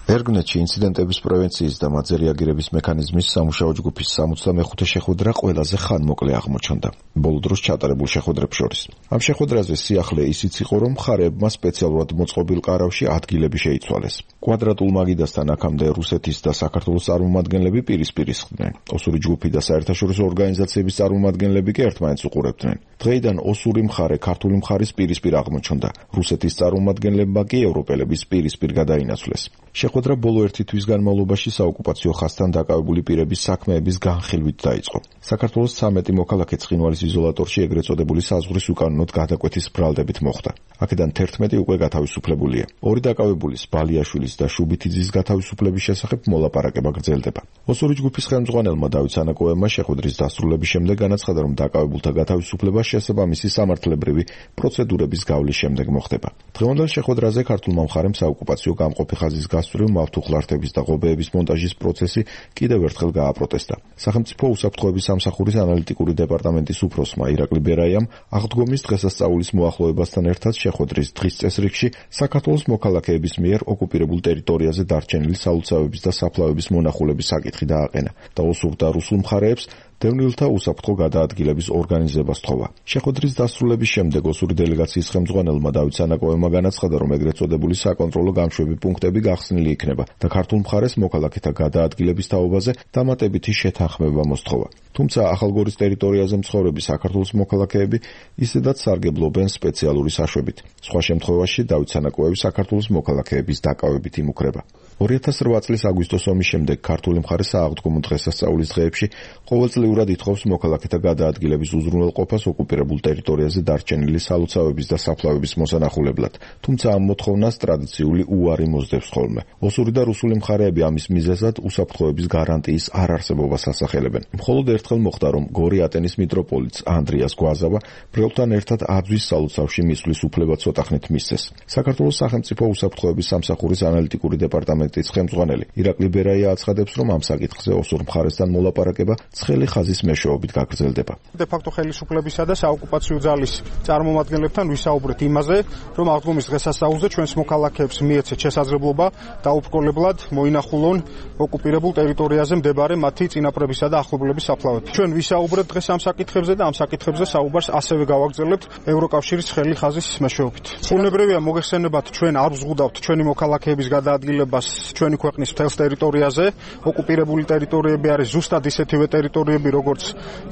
ერგნეთში ინციდენტების პრევენციის და მათზე რეაგირების მექანიზმის სამუშაო ჯგუფის 65-ე შეხვედრა ყველაზე ხანმოკლე აღმოჩნდა ბოლო დროს ჩატარებულ შეხვედრებს შორის. ამ შეხვედრაზე სიახლე ისიც იყო, რომ მხარეებმა სპეციალურად მოწყობილ ყარავში ადგილები შეიცვალეს. კვადრატულ მაგიდასთან აქამდე რუსეთის და საქართველოს წარმომადგენლები პირისპირ ისხდნენ. ოსური ჯგუფი და საერთაშორისო ორგანიზაციების წარმომადგენლები კი ერთმანეთს უყურებდნენ. დღეიდან ოსური მხარე ქართული მხარის პირისპირ აღმოჩნდა. რუსეთის წარმომადგენლებმა კი ევროპელების პირისპირ გადაინაცვლეს. შეხვედრა ბოლო ერთი თვის განმავლობაში საოკუპაციო ხაზთან დაკავებული პირების საქმეების განხილვით დაიწყო. საქართველოს 13 მოქალაქე ცხინვალის იზოლატორში ეგრეთ წოდებული საზღვრის უკანონოდ გადაკვეთის ბრალდებით მოხდა. აქედან 11 უკვე გათავისუფლებულია. ორი დაკავებულის, ბალიაშვილის და შუბითიძის გათავისუფლების შესახებ მოლაპარაკება გრძელდება. ოსური ჯგუფის ხელმძღვანელმა დავით სანაკოევმა შეხვედრის დასრულების შემდეგ განაცხადა, რომ დაკავებულთა გათავისუფლება შესაბამისი სამართლებრივი პროცედურების გავლის შემდეგ მოხდება. დღევანდელ შეხვედრაზე ქართულმა მხარემ საოკუპაციო გამყოფი ხაზის გასწვრივ მავთუხლართების და ღობეების მონტაჟის პროცესი კიდევ ერთხელ გააპროტესტა. სახელმწიფო უსაფრთხოების სამსახურის ანალიტიკური დეპარტამენტის უფროსმა ირაკლი ბერაიამ აღდგომის დღესასწაულის მოახლოებასთან ერთად შეხვედრის დღის წესრიგში საქართველოს მოქალაქეების მიერ ოკუპირებულ ტერიტორიაზე დარჩენილი სალოცავების და საფლავების მონახულების საკითხი დააყენა და ოსურ და რუსულ მხარეებს დევნილთა უსაფრთხო გადაადგილების ორგანიზებას თხოვა. შეხვედრის დასრულების შემდეგ ოსური დელეგაციის ხელმძღვანელმა დავით სანაკოევმა განაცხადა, რომ ეგრეთ წოდებული საკონტროლო გამშვები პუნქტები გახსნილი იქნება და ქართულ მხარეს მოქალაქეთა გადაადგილების თაობაზე დამატებითი შეთანხმება მოსთხოვა. თუმცა ახალგორის ტერიტორიაზე მცხოვრები საქართველოს მოქალაქეები ისედაც სარგებლობენ სპეციალური საშვებით. სხვა შემთხვევაში დავით სანაკოევი საქართველოს მოქალაქეების დაკავებით იმუქრება. 2008 წლის აგვისტოს ომის შემდეგ ქართული მხარე სააღდგომო დღესასწაულის დღეებში ყოველწლიურად ითხოვს მოქალაქეთა გადაადგილების უზრუნველყოფას ოკუპირებულ ტერიტორიაზე დარჩენილი სალოცავების და საფლავების მოსანახულებლად. თუმცა ამ მოთხოვნას ტრადიციული უარი მოსდევს ხოლმე. ოსური და რუსული მხარეები ამის მიზეზად უსაფრთხოების გარანტიის არარსებობას ასახელებენ. მხოლოდ ერთხელ მოხდა, რომ გორი ატენის მიტროპოლიტს ანდრიას გვაზავა ბრელთან ერთად აძვის სალოცავში მისვლის უფლება ცოტა ხნით მისცეს. საქართველოს სახელმწიფო უსაფრთხოების სამსახურის ანალიტიკური დეპარტამენტის ხელმძღვანელი ირაკლი ბერაია აცხადებს, რომ ამ საკითხზე ოსურ მხარესთან მოლაპარაკება ცხელი ხაზის მეშვეობით გაგრძელდება. დე-ფაქტო ხელისუფლებისა და საოკუპაციო ძალის წარმომადგენლებთან ვისაუბრეთ იმაზე, რომ აღდგომის დღესასწაულზე ჩვენს მოქალაქეებს მიეცეთ შესაძლებლობა დაუბრკოლებლად მოინახულონ ოკუპირებულ ტერიტორიაზე მდებარე მათი წინაპრებისა და ახლობლების საფლავები. ჩვენ ვისაუბრეთ დღეს ამ საკითხებზე და ამ საკითხებზე საუბარს ასევე გავაგრძელებთ ევროკავშირის ცხელი ხაზის მეშვეობით. უნებრივია მოგეხსენებათ, ჩვენ არ ვზღუდავთ ჩვენი მოქალაქეების გადაადგილებას ჩვენი ქვეყნის მთელს ტერიტორიაზე. ოკუპირებული ტერიტორიები არის ზუსტად ისეთივე ტერიტორიები, როგორც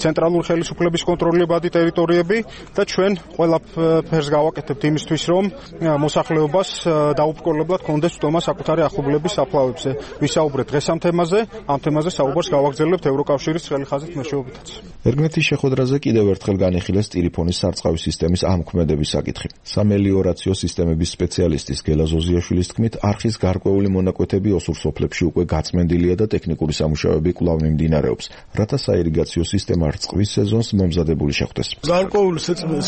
ცენტრალური ხელისუფლების კონტროლებადი ტერიტორიები და ჩვენ ყველაფერს გავაკეთებთ იმისთვის, რომ მოსახლეობას დაუბრკოლებლად კონდეს უტომა საკუთარი ახლობლების საფლავებზე. ვისაუბრეთ დღეს ამ თემაზე საუბარს გავაგრძელებთ ევროკავშირის ცხელი ხაზით მეშვეობითაც. ერგნეთის შეხვედრაზე კიდევ ერთხელ განიხილეს ტილიფონის სარწყავი სისტემის ამქმედების საკითხი. სამელიორაციო სისტემების სპეციალისტის გელა ზოზიაშვილის თქმით, არხის გარკვეული მონაკვეთები ოსურ სოფლებში უკვე გაწმენდილია და ტექნიკური სამუშაოები კვლავ მიმდინარეობს, რათა საირიგაციო სისტემა რწყვის სეზონს მომზადებული შეხვდეს. გარკვეული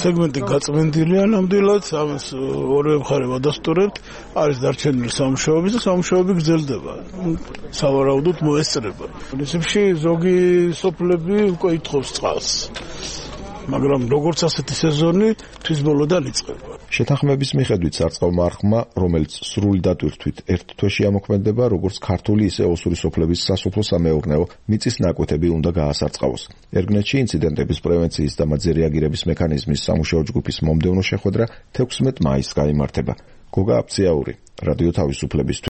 სეგმენტი გაწმენდილია ნამდვილად, ამას ორივე მხარე ვადასტურებთ, არის დარჩენილი სამუშაოები და სამუშაოები გრძელდება. სავარაუდოდ მოესწრება. პრინციპში ზოგი სოფლები უკვე ითხოვს წყალს. მაგრამ როგორც ასეთი სეზონი თვის ბოლოდან იწყება. შეთანხმების მიხედვით სარწყავმა არხმა, რომელიც სრული დატვირთვით ერთ თვეში ამოქმედება, როგორც ქართული, ისე ოსური სოფლების სასოფლო-სამეურნეო მიწის ნაკვეთები უნდა გაასარწყავოს. ერგნეთში ინციდენტების პრევენციის და მათზე რეაგირების მექანიზმის სამუშაო ჯგუფის მომდევნო შეხვედრა 16 მაისს გაიმართება. გოგა აფციაური, რადიო თავისუფლების